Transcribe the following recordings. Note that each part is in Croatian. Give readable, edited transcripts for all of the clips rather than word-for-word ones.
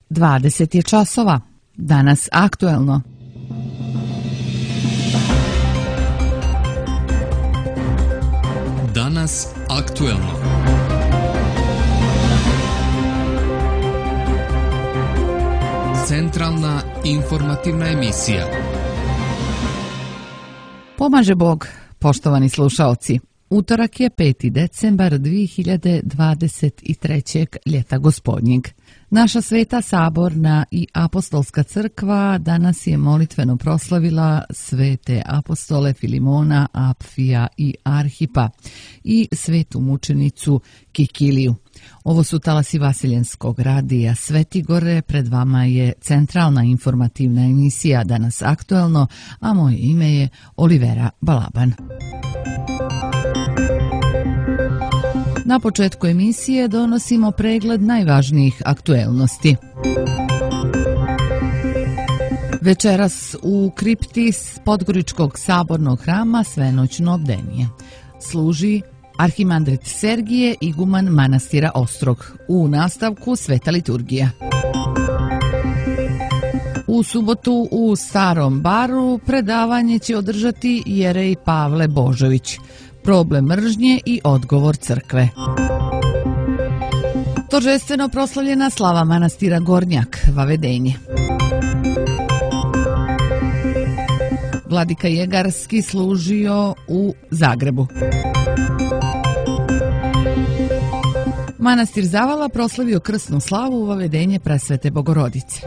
20 je časova. Danas aktuelno. Danas aktuelno. Centralna informativna emisija. Pomaže Bog, poštovani slušaoci. Utorak je 5. decembar 2023. ljeta gospodnjeg. Naša Sveta Saborna i Apostolska crkva danas je molitveno proslavila svete apostole Filimona, Apfija i Arhipa i svetu mučenicu Kikiliju. Ovo su talasi Vasiljenskog radija Svetigore, pred vama je centralna informativna emisija Danas aktuelno, a moje ime je Olivera Balaban. Na početku emisije donosimo pregled najvažnijih aktuelnosti. Večeras u kripti Podgoričkog sabornog hrama svenoćno bdenije služi arhimandrit Sergije, iguman manastira Ostrog. U nastavku sveta liturgija. U subotu u Starom Baru predavanje će održati jerej Pavle Božović. Problem mržnje i odgovor crkve. Торжествено proslavljena slava manastira Gornjak, Vavedenje. Vladika Jegarski služio u Zagrebu. Manastir Zavala proslavio krsnu slavu u Vavedenje Presvete Bogorodice.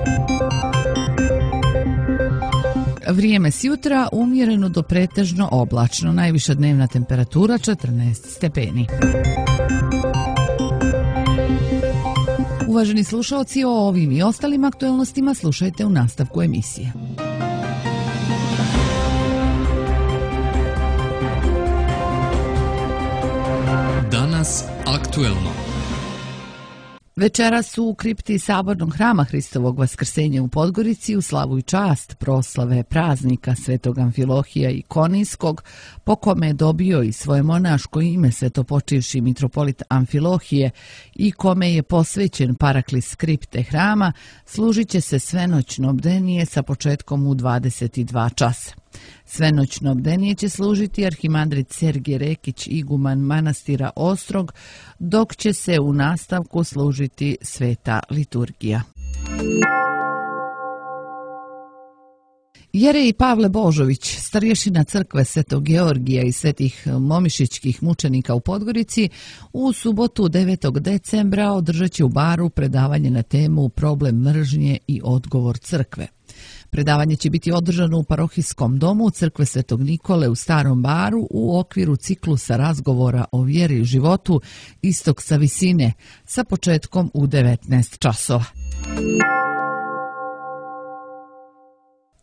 Vrijeme s jutra umjereno do pretežno oblačno, najviša dnevna temperatura 14 stepeni. Uvaženi slušaoci, o ovim i ostalim aktuelnostima slušajte u nastavku emisije. Danas aktuelno. Večeras u kripti Sabornog hrama Hristovog Vaskrsenja u Podgorici u slavu i čast proslave praznika Svetog Amfilohija Ikonijskog, po kome je dobio i svoje monaško ime svetopočivši mitropolit Amfilohije i kome je posvećen paraklis kripte hrama, služit će se svenoćno bdenije sa početkom u 22 časa. Svenoćno bdenije će služiti arhimandrit Sergije Rekić, iguman manastira Ostrog, dok će se u nastavku služiti sveta liturgija. Jerej Pavle Božović, starješina crkve Svetog Georgija i svetih momišićkih mučenika u Podgorici, u subotu 9. decembra održat će u Baru predavanje na temu Problem mržnje i odgovor crkve. Predavanje će biti održano u parohijskom domu Crkve Svetog Nikole u Starom Baru u okviru ciklusa razgovora o vjeri i životu Istok sa visine sa početkom u 19 časova.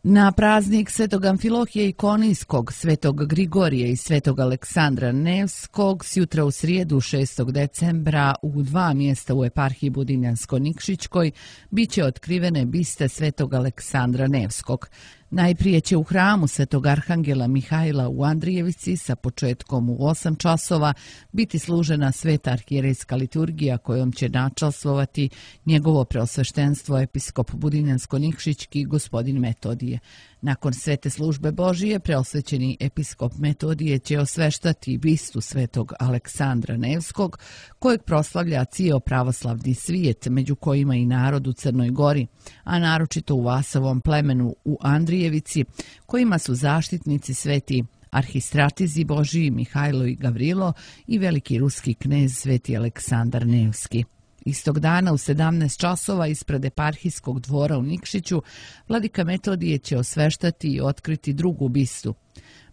Na praznik Svetog Amfilohija Ikonijskog, Svetog Grigorija i Svetog Aleksandra Nevskog sjutra u srijedu 6. decembra u dva mjesta u eparhiji Budinjansko-Nikšićkoj bit će otkrivene biste Svetog Aleksandra Nevskog. Najprije će u hramu Svetog Arhangela Mihajla u Andrijevici sa početkom u 8 časova biti služena sveta arhijerejska liturgija kojom će načastvovati njegovo preosveštenstvo episkop Budinjansko-Nikšićki gospodin Metodije. Nakon svete službe Božije, preosvećeni episkop Metodije će osveštati bistu Svetog Aleksandra Nevskog, kojeg proslavlja cijel pravoslavni svijet, među kojima i narod u Crnoj Gori, a naročito u Vasovom plemenu u Andrijevici, kojima su zaštitnici sveti arhistratizi Božiji Mihajlo i Gavrilo i veliki ruski knez sveti Aleksandar Nevski. Istog dana u 17 časova ispred eparhijskog dvora u Nikšiću vladika Metodije će osveštati i otkriti drugu bistu.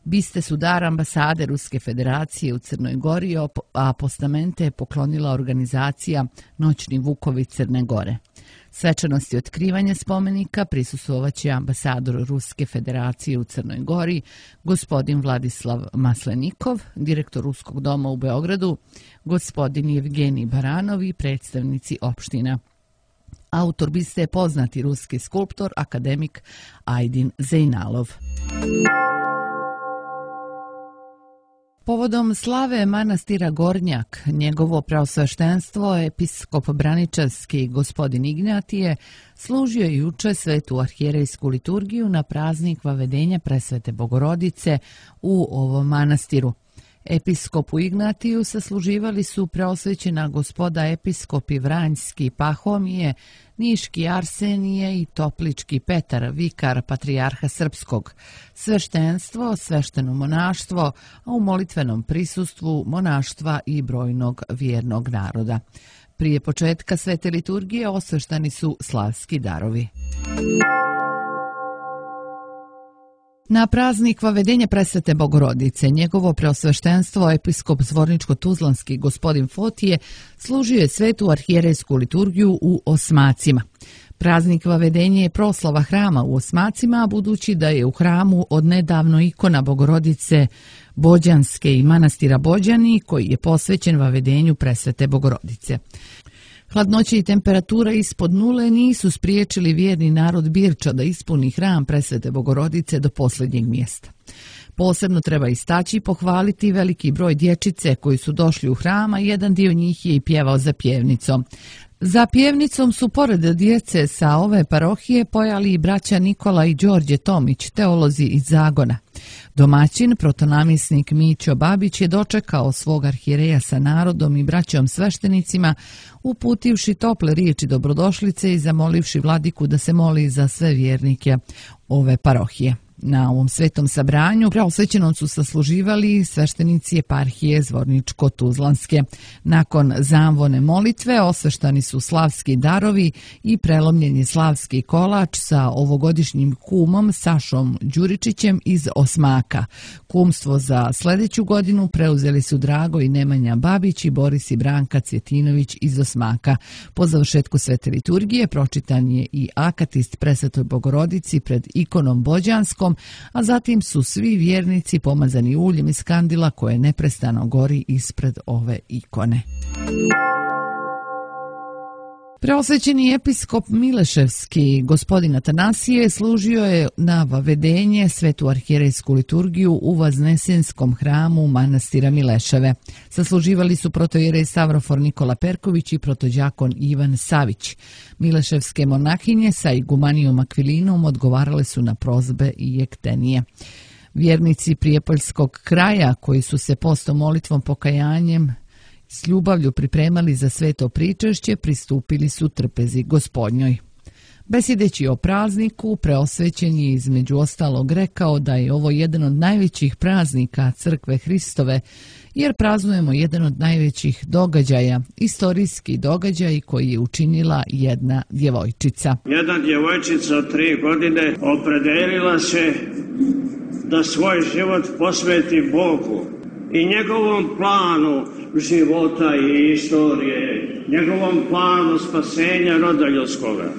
Biste su dar ambasade Ruske federacije u Crnoj Gori, a postamente je poklonila organizacija Noćni vukovi Crne Gore. Svečanosti otkrivanja spomenika prisustvovaće ambasador Ruske federacije u Crnoj Gori, gospodin Vladislav Maslenikov, direktor Ruskog doma u Beogradu, gospodin Jevgenij Baranov i predstavnici opština. Autor biste je poznati ruski skulptor, akademik Ajdin Zejnalov. Povodom slave manastira Gornjak, njegovo preosveštenstvo, episkop Braničevski gospodin Ignatije, služio je juče svetu arhijerejsku liturgiju na praznik Vavedenja Presvete Bogorodice u ovom manastiru. Episkopu Ignatiju sasluživali su preosvećena gospoda episkopi Vranjski Pahomije, Niški Arsenije i Toplički Petar, vikar patrijarha srpskog, sveštenstvo, svešteno monaštvo, a u molitvenom prisustvu monaštva i brojnog vjernog naroda. Prije početka svete liturgije osveštani su slavski darovi. Na praznik Vavedenja Presvete Bogorodice, njegovo preosveštenstvo episkop Zvorničko-Tuzlanski gospodin Fotije služio je svetu arhijerejsku liturgiju u Osmacima. Praznik Vavedenja je proslava hrama u Osmacima, budući da je u hramu odnedavno ikona Bogorodice Bođanske i manastira Bođani, koji je posvećen Vavedenju Presvete Bogorodice. Hladnoće i temperatura ispod nule nisu spriječili vjerni narod Birča da ispuni hram Presvete Bogorodice do posljednjeg mjesta. Posebno treba istaći i pohvaliti veliki broj dječice koji su došli u hram, a jedan dio njih je i pjevao za pjevnicom. Za pjevnicom su pored djece sa ove parohije pojali i braća Nikola i Đorđe Tomić, teolozi iz Zagona. Domaćin, protonamjesnik Mićo Babić, je dočekao svog arhijereja sa narodom i braćom sveštenicima, uputivši tople riječi dobrodošlice i zamolivši vladiku da se moli za sve vjernike ove parohije. Na ovom svetom sabranju preosvećenom su sasluživali sveštenici eparhije Zvorničko-Tuzlanske. Nakon zamvone molitve osveštani su slavski darovi i prelomljen je slavski kolač sa ovogodišnjim kumom Sašom Đuričićem iz Osmaka. Kumstvo za sljedeću godinu preuzeli su Drago i Nemanja Babić i Boris i Branka Cvjetinović iz Osmaka. Po završetku svete liturgije pročitan je i akatist Presvetoj Bogorodici pred ikonom Bođanskom, a zatim su svi vjernici pomazani uljem iz kandila koje neprestano gori ispred ove ikone. Preosvećeni episkop Mileševski gospodin Atanasije služio je na Vavedenje svetu arhijerejsku liturgiju u Vaznesenskom hramu manastira Mileševe. Sasluživali su protojerej Stavrofor Nikola Perković i protođakon Ivan Savić. Mileševske monahinje sa igumanijom Akvilinom odgovarale su na prozbe i jektenije. Vjernici prijepoljskog kraja koji su se postom, molitvom, pokajanjem s ljubavlju pripremali za sveto pričešće, pristupili su trpezi Gospodnjoj. Besjedeći o prazniku, preosvećen je između ostalog rekao da je ovo jedan od najvećih praznika Crkve Hristove, jer praznujemo jedan od najvećih događaja, istorijski događaj koji je učinila jedna djevojčica. Jedna djevojčica od 3 godine opredelila se da svoj život posveti Bogu i njegovom planu života i istorije, njegovom planu spasenja roda ljudskoga.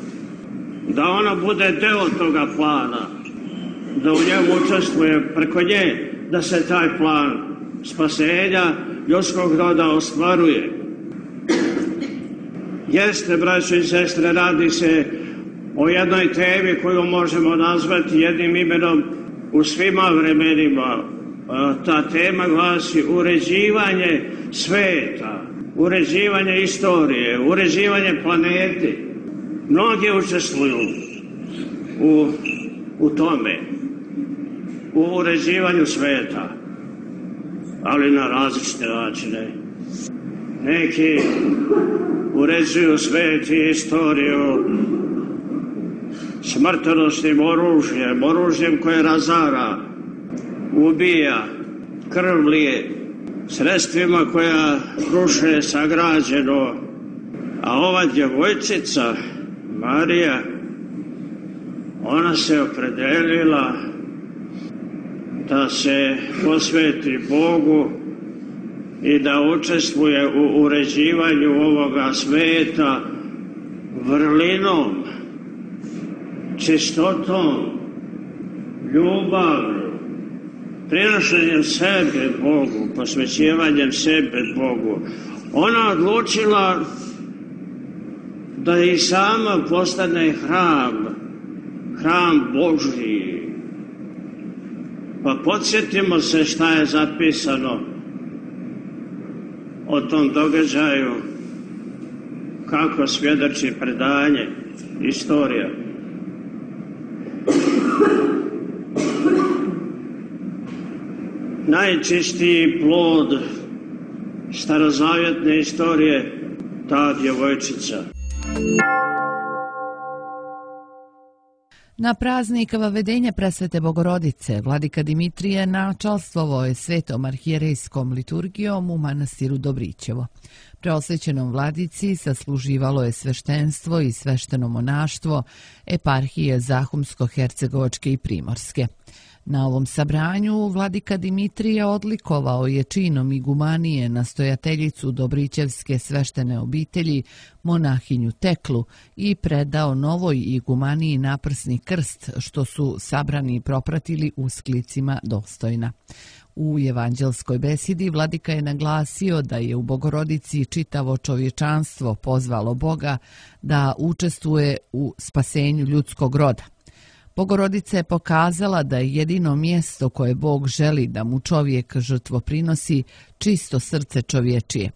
Da ona bude deo toga plana, da u njemu učestvuje preko nje, da se taj plan spasenja ljudskog roda ostvaruje. Jeste, braćo i sestre, radi se o jednoj temi koju možemo nazvati jednim imenom u svima vremenima. Ta tema glasi uređivanje sveta, uređivanje istorije, uređivanje planete. Mnogi učestvuju u tome, u uređivanju sveta, ali na različite načine. Neki uređuju svet i istoriju smrtonosnim oružjem koje razara, ubija, krv lije, sredstvima koja ruše sagrađeno. A ova djevojčica, Marija, ona se opredelila da se posveti Bogu i da učestvuje u uređivanju ovoga sveta vrlinom, čistotom, ljubavlju, prinošenjem sebe Bogu, posvećivanjem sebe Bogu. Ona odlučila da i sama postane hram Božji. Pa podsjetimo se šta je zapisano o tom događaju kako svjedoči predanje, istorija. Najčistiji plod starozavjetne istorije, ta djevojčica. Na praznik Vavedenja Presvete Bogorodice vladika Dimitrije načalstvovao je svetom arhijerejskom liturgijom u manastiru Dobrićevo. Preosvećenom vladici sasluživalo je sveštenstvo i svešteno monaštvo eparhije Zahumsko-Hercegovačke i Primorske. Na ovom sabranju vladika Dimitrije odlikovao je činom igumanije nastojateljicu Dobrićevske sveštene obitelji, monahinju Teklu, i predao novoj igumaniji naprsni krst, što su sabrani propratili usklicima dostojna. U evanđelskoj besedi vladika je naglasio da je u Bogorodici čitavo čovječanstvo pozvalo Boga da učestvuje u spasenju ljudskog roda. Bogorodica je pokazala da je jedino mjesto koje Bog želi da mu čovjek žrtvo prinosi čisto srce čovječije.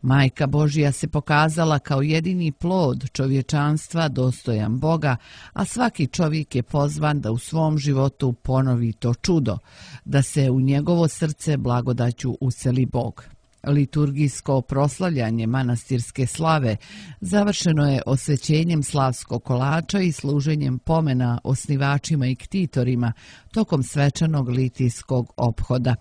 Majka Božja se pokazala kao jedini plod čovječanstva dostojan Boga, a svaki čovjek je pozvan da u svom životu ponovi to čudo, da se u njegovo srce blagodaću useli Bog. Liturgijsko proslavljanje manastirske slave završeno je osvećenjem slavskog kolača i služenjem pomena osnivačima i ktitorima tokom svečanog litijskog ophoda.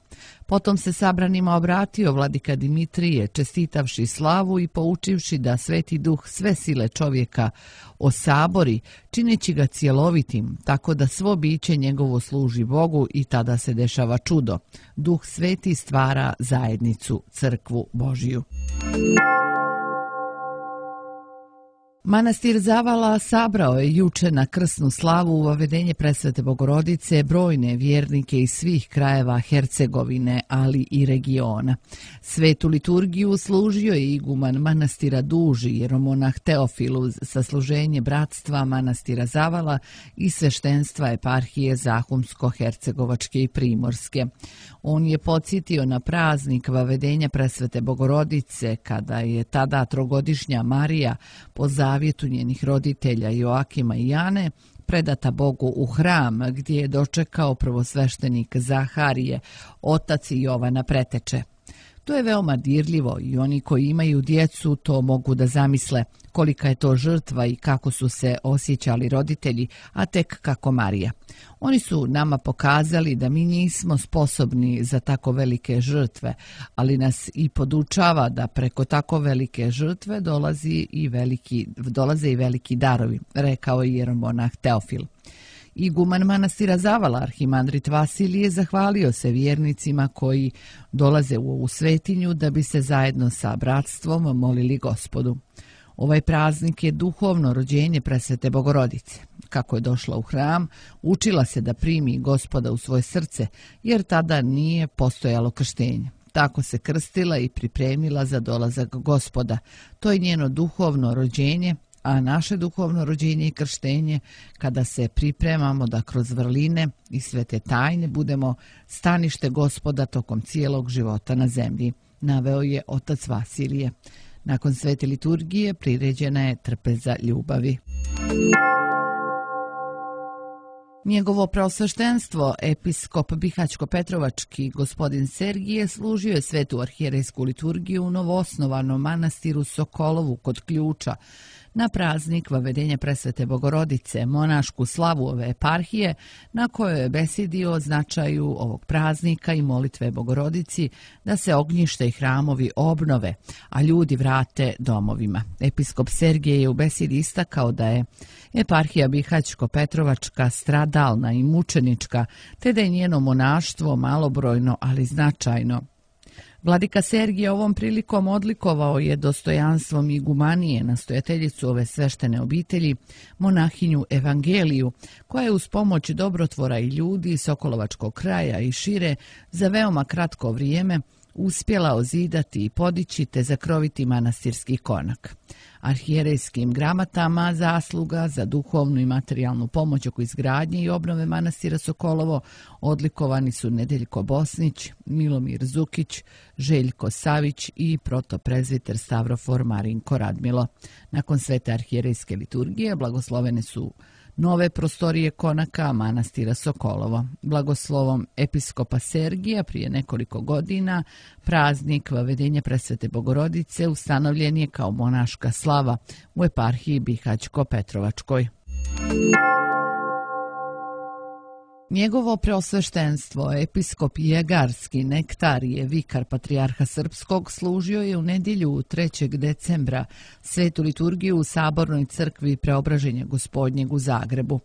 Potom se sabranima obratio vladika Dimitrije, čestitavši slavu i poučivši da Sveti Duh sve sile čovjeka osabori, čineći ga cjelovitim, tako da svo biće njegovo služi Bogu, i tada se dešava čudo. Duh Sveti stvara zajednicu, crkvu Božiju. Manastir Zavala sabrao je juče na krsnu slavu u Vavedenje Presvete Bogorodice brojne vjernike iz svih krajeva Hercegovine, ali i regiona. Svetu liturgiju služio je iguman manastira Duži, jeromonah Teofilu, sasluženje bratstva manastira Zavala i sveštenstva eparhije Zahumsko-Hercegovačke i Primorske. On je podsjetio na praznik Vavedenja Presvete Bogorodice, kada je tada trogodišnja Marija po zavjetu njenih roditelja Joakima i Jane predata Bogu u hram, gdje je dočekao prvosveštenik Zaharije, otac Jovana Preteče. To je veoma dirljivo i oni koji imaju djecu to mogu da zamisle kolika je to žrtva i kako su se osjećali roditelji, a tek kako Marija. Oni su nama pokazali da mi nismo sposobni za tako velike žrtve, ali nas i podučava da preko tako velike žrtve dolaze i veliki darovi, rekao je jeromonah Teofil. Iguman manastira Zavala, arhimandrit Vasilije, zahvalio se vjernicima koji dolaze u ovu svetinju da bi se zajedno sa bratstvom molili Gospodu. Ovaj praznik je duhovno rođenje Presvete Bogorodice. Kako je došla u hram, učila se da primi Gospoda u svoje srce, jer tada nije postojalo krštenje. Tako se krstila i pripremila za dolazak Gospoda. To je njeno duhovno rođenje, a naše duhovno rođenje i krštenje kada se pripremamo da kroz vrline i svete tajne budemo stanište Gospoda tokom cijelog života na zemlji, naveo je otac Vasilije. Nakon svete liturgije priređena je trpeza ljubavi. Njegovo preosveštenstvo, episkop Bihaćko-Petrovački gospodin Sergije, služio je svetu arhijerejsku liturgiju u novoosnovanom manastiru Sokolovu kod Ključa na praznik Vavedenja Presvete Bogorodice, monašku slavu ove eparhije, na kojoj je besedio o značaju ovog praznika i molitve Bogorodici da se ognjište i hramovi obnove, a ljudi vrate domovima. Episkop Sergije je u besedi istakao da je eparhija Bihaćko-Petrovačka stradalna i mučenička, te da je njeno monaštvo malobrojno, ali značajno. Vladika Sergije ovom prilikom odlikovao je dostojanstvom igumanije, nastojateljicu ove sveštene obitelji, monahinju Evangeliju, koja je uz pomoć dobrotvora i ljudi Sokolovačkog kraja i šire za veoma kratko vrijeme uspjela ozidati i podići te zakroviti manastirski konak. Arhijerejskim gramatama zasluga za duhovnu i materijalnu pomoć oko izgradnje i obnove manastira Sokolovo odlikovani su Nedeljko Bosnić, Milomir Zukić, Željko Savić i protoprezviter Stavrofor Marinko Radmilo. Nakon svete arhijerejske liturgije blagoslovene su nove prostorije konaka manastira Sokolovo. Blagoslovom episkopa Sergija prije nekoliko godina praznik Vavedenja Presvete Bogorodice ustanovljen je kao monaška slava u eparhiji Bihaćko-Petrovačkoj. Njegovo preosveštenstvo, episkop Jegarski Nektarije, vikar patrijarha Srpskog, služio je u nedjelju 3. decembra svetu liturgiju u Sabornoj crkvi Preobraženja Gospodnjeg u Zagrebu.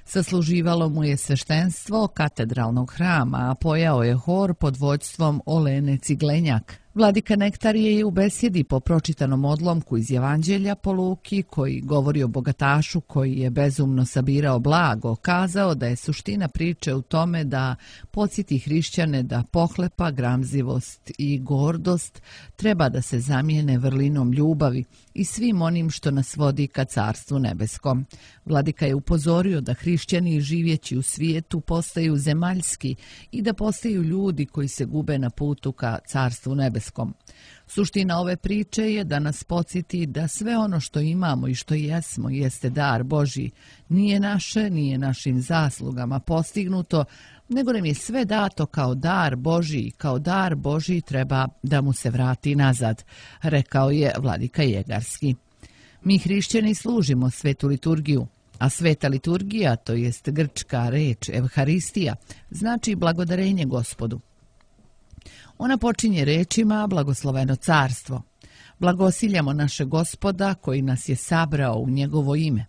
Sasluživalo mu je sveštenstvo katedralnog hrama, a pojao je hor pod vođstvom Olene Ciglenjak. Vladika Nektarije je u besjedi po pročitanom odlomku iz Evanđelja po Luki, koji govori o bogatašu koji je bezumno sabirao blago, kazao da je suština priče u tome da podsjeti hrišćane da pohlepa, gramzivost i gordost treba da se zamijene vrlinom ljubavi i svim onim što nas vodi ka Carstvu nebeskom. Vladika je upozorio da hrišćani živjeći u svijetu postaju zemaljski i da postaju ljudi koji se gube na putu ka Carstvu nebeskom. Suština ove priče je da nas podsjeti da sve ono što imamo i što jesmo jeste dar Božji. Nije naše, nije našim zaslugama postignuto, nego nam je sve dato kao dar Božji, kao dar Božji treba da mu se vrati nazad, rekao je vladika Jegarski. Mi hrišćani služimo svetu liturgiju, a sveta liturgija, to jest grčka reč Evharistija, znači blagodarenje Gospodu. Ona počinje rečima blagosloveno carstvo. Blagosiljamo naše Gospoda koji nas je sabrao u njegovo ime.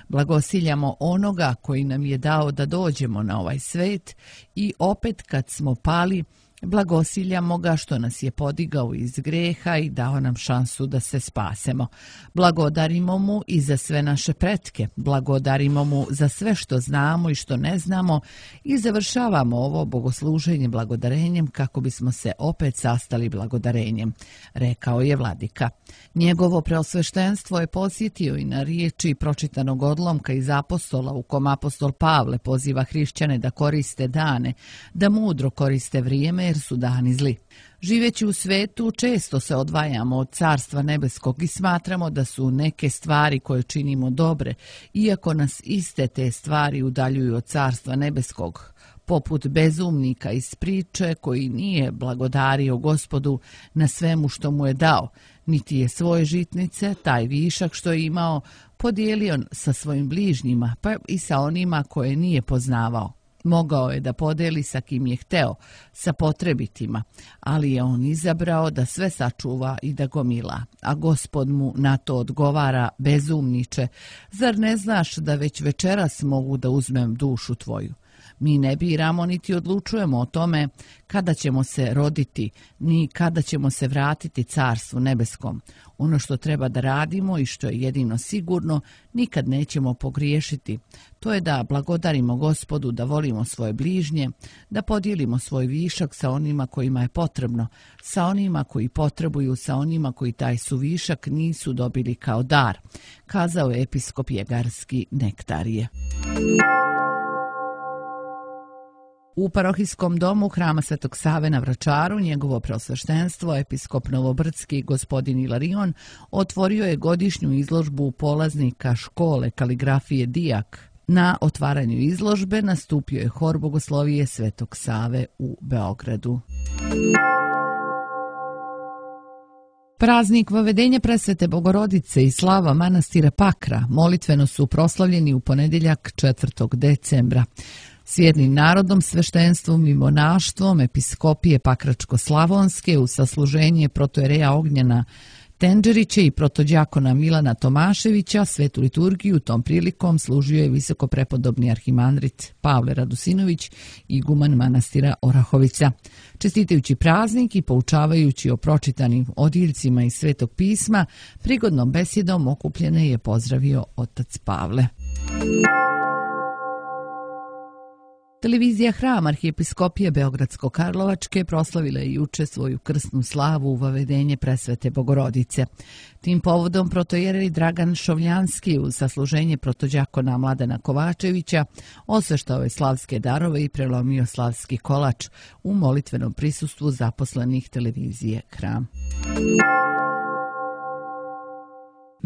Blagosiljamo onoga koji nam je dao da dođemo na ovaj svet i opet kad smo pali, blagosiljamo ga što nas je podigao iz greha i dao nam šansu da se spasemo. Blagodarimo mu i za sve naše pretke, blagodarimo mu za sve što znamo i što ne znamo i završavamo ovo bogosluženje blagodarenjem kako bismo se opet sastali blagodarenjem, rekao je vladika. Njegovo preosveštenstvo je podsjetio i na riječi pročitanog odlomka iz apostola u kom apostol Pavle poziva hrišćane da koriste dane, da mudro koriste vrijeme jer su dani zli. Živeći u svetu često se odvajamo od Carstva nebeskog i smatramo da su neke stvari koje činimo dobre, iako nas iste te stvari udaljuju od Carstva nebeskog, poput bezumnika iz priče koji nije blagodario Gospodu na svemu što mu je dao, niti je svoje žitnice, taj višak što je imao, podijelio sa svojim bližnjima, pa i sa onima koje nije poznavao. Mogao je da podeli sa kim je hteo, sa potrebitima, ali je on izabrao da sve sačuva i da gomila. A Gospod mu na to odgovara: bezumniče, zar ne znaš da već večeras mogu da uzmem dušu tvoju? Mi ne biramo niti odlučujemo o tome kada ćemo se roditi, ni kada ćemo se vratiti Carstvu nebeskom. Ono što treba da radimo i što je jedino sigurno, nikad nećemo pogriješiti. To je da blagodarimo Gospodu, da volimo svoje bližnje, da podijelimo svoj višak sa onima kojima je potrebno, sa onima koji potrebuju, sa onima koji taj suvišak nisu dobili kao dar, kazao je episkop Jegarski Nektarije. U parohijskom domu Hrama Svetog Save na Vračaru njegovo preosveštenstvo, episkop Novobrdski gospodin Ilarion, otvorio je godišnju izložbu polaznika škole kaligrafije Dijak. Na otvaranju izložbe nastupio je hor bogoslovije Svetog Save u Beogradu. Praznik Vavedenja Presvete Bogorodice i slava manastira Pakra molitveno su proslavljeni u ponedjeljak 4. decembra. S jednim narodom, sveštenstvom i monaštvom episkopije Pakračko-Slavonske u sasluženje protojereja Ognjena Tenđerića i protodjakona Milana Tomaševića svetu liturgiju tom prilikom služio je visoko prepodobni arhimandrit Pavle Radusinović, iguman manastira Orahovica. Čestitajući praznik i poučavajući o pročitanim odjeljcima iz Svetog pisma, prigodnom besjedom okupljene je pozdravio otac Pavle. Televizija Hram arhijepiskopije Beogradsko-Karlovačke proslavila je juče svoju krsnu slavu u vavedenje presvete Bogorodice. Tim povodom protojerej Dragan Šovljanski uz sasluženje protođakona Mladena Kovačevića osveštao je slavske darove i prelomio slavski kolač u molitvenom prisustvu zaposlenih televizije Hram.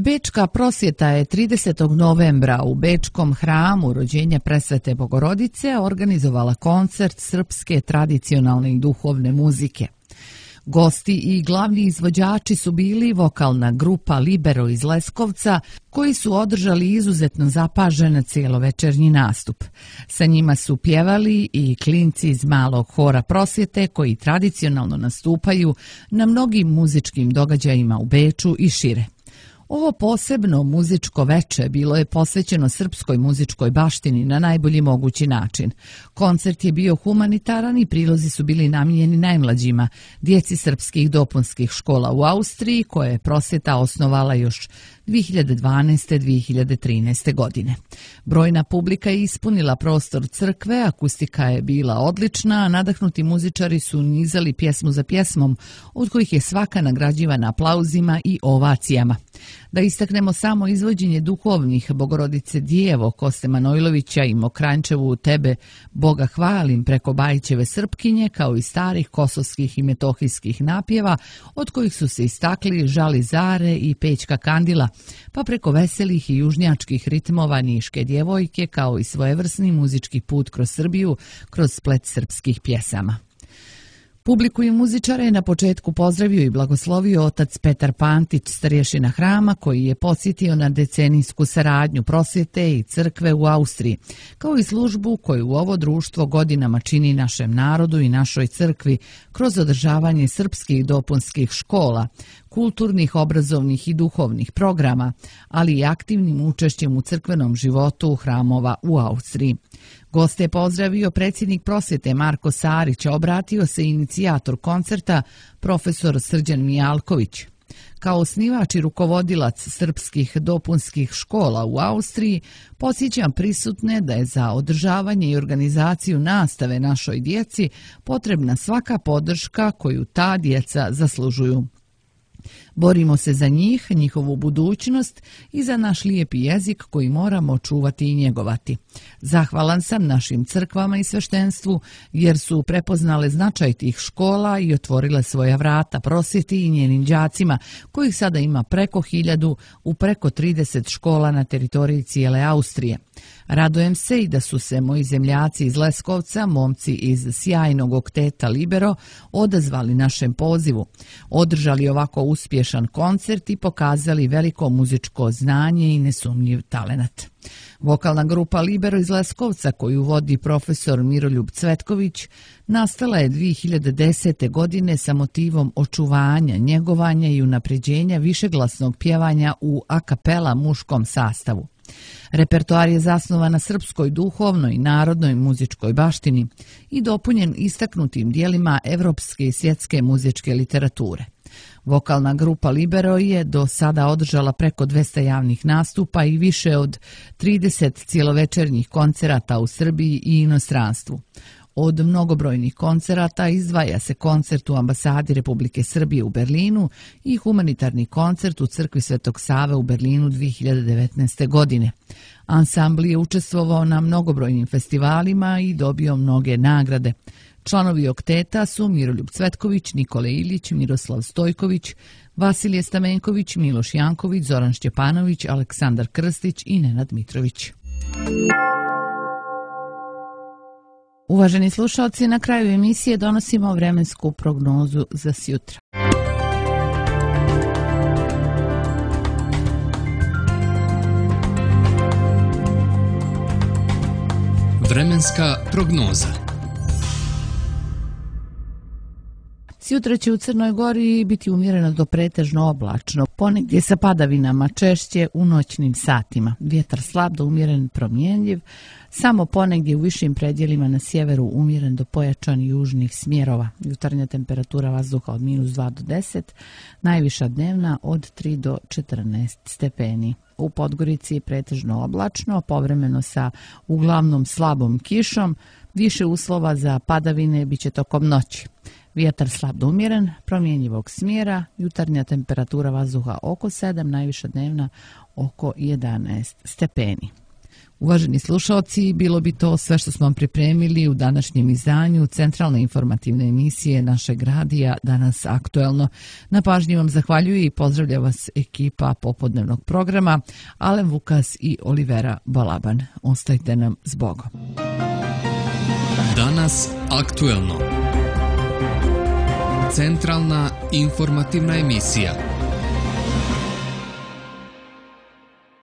Bečka prosvjeta je 30. novembra u Bečkom hramu rođenja presvete Bogorodice organizovala koncert srpske tradicionalne i duhovne muzike. Gosti i glavni izvođači su bili vokalna grupa Libero iz Leskovca, koji su održali izuzetno zapažen cijelovečernji nastup. Sa njima su pjevali i klinci iz malog hora prosvjete koji tradicionalno nastupaju na mnogim muzičkim događajima u Beču i šire. Ovo posebno muzičko veče bilo je posvećeno srpskoj muzičkoj baštini na najbolji mogući način. Koncert je bio humanitaran i prilozi su bili namijenjeni najmlađima, djeci srpskih dopunskih škola u Austriji, koje je prosvjeta osnovala još 2012-2013. godine. Brojna publika je ispunila prostor crkve, akustika je bila odlična, a nadahnuti muzičari su nizali pjesmu za pjesmom, od kojih je svaka nagrađivana aplauzima i ovacijama. Da istaknemo samo izvođenje duhovnih Bogorodice Djevo Koste Manojlovića i Mokrančevu Tebe Boga hvalim preko Bajićeve Srpkinje, kao i starih kosovskih i metohijskih napjeva, od kojih su se istakli Žali Zare i Pećka Kandila, pa preko veselih i južnjačkih ritmova Niške djevojke, kao i svojevrsni muzički put kroz Srbiju, kroz splet srpskih pjesama. Publiku i muzičare je na početku pozdravio i blagoslovio otac Petar Pantić, starješina hrama, koji je podsjetio na decenijsku saradnju prosvjete i crkve u Austriji, kao i službu koju ovo društvo godinama čini našem narodu i našoj crkvi kroz održavanje srpskih dopunskih škola, kulturnih, obrazovnih i duhovnih programa, ali i aktivnim učešćem u crkvenom životu hramova u Austriji. Goste je pozdravio predsjednik prosvjete Marko Sarić, obratio se inicijator koncerta profesor Srđan Mijalković. Kao osnivač i rukovodilac srpskih dopunskih škola u Austriji, podsjećam prisutne da je za održavanje i organizaciju nastave našoj djeci potrebna svaka podrška koju ta djeca zaslužuju. Borimo se za njih, njihovu budućnost i za naš lijepi jezik koji moramo čuvati i njegovati. Zahvalan sam našim crkvama i sveštenstvu jer su prepoznale značaj tih škola i otvorile svoja vrata prosvjeti i njenim đacima, kojih sada ima preko 1000 u preko 30 škola na teritoriji cijele Austrije. Radujem se i da su se moji zemljaci iz Leskovca, momci iz sjajnog okteta Libero, odazvali našem pozivu, održali ovako uspješan koncert i pokazali veliko muzičko znanje i nesumnjiv talenat. Vokalna grupa Libero iz Leskovca, koju vodi profesor Miroljub Cvetković, nastala je 2010. godine sa motivom očuvanja, njegovanja i unapređenja višeglasnog pjevanja u a kapela muškom sastavu. Repertoar je zasnovan na srpskoj duhovnoj i narodnoj muzičkoj baštini i dopunjen istaknutim dijelima evropske i svjetske muzičke literature. Vokalna grupa Libero je do sada održala preko 200 javnih nastupa i više od 30 cijelovečernjih koncerata u Srbiji i inostranstvu. Od mnogobrojnih koncerata izdvaja se koncert u ambasadi Republike Srbije u Berlinu i humanitarni koncert u crkvi Svetog Save u Berlinu 2019. godine. Ansambl je učestvovao na mnogobrojnim festivalima i dobio mnoge nagrade. Članovi okteta su Miroljub Cvetković, Nikola Ilić, Miroslav Stojković, Vasilije Stamenković, Miloš Janković, Zoran Šćepanović, Aleksandar Krstić i Nenad Mitrović. Uvaženi slušalci, na kraju emisije donosimo vremensku prognozu za sjutra. Vremenska prognoza. Sjutra će u Crnoj Gori biti umjereno do pretežno oblačno, ponegdje sa padavinama, češće u noćnim satima. Vjetar slab do umjeren promjenjiv, samo ponegdje u višim predjelima na sjeveru umjeren do pojačan južnih smjerova. Jutarnja temperatura vazduha od -2 do 10, najviša dnevna od 3 do 14 stepeni. U Podgorici je pretežno oblačno, povremeno sa uglavnom slabom kišom, Više uslova za padavine biće tokom noći. Vjetar slab do umjeren, promjenjivog smjera, jutarnja temperatura vazduha oko 7, najviša dnevna oko 11 stepeni. Uvaženi slušalci, bilo bi to sve što smo vam pripremili u današnjem izdanju centralne informativne emisije našeg radija Danas aktuelno. Na pažnji vam zahvaljuju i pozdravlja vas ekipa popodnevnog programa Alen Vukas i Olivera Balaban. Ostajte nam s Bogom. Danas aktuelno. Centralna informativna emisija.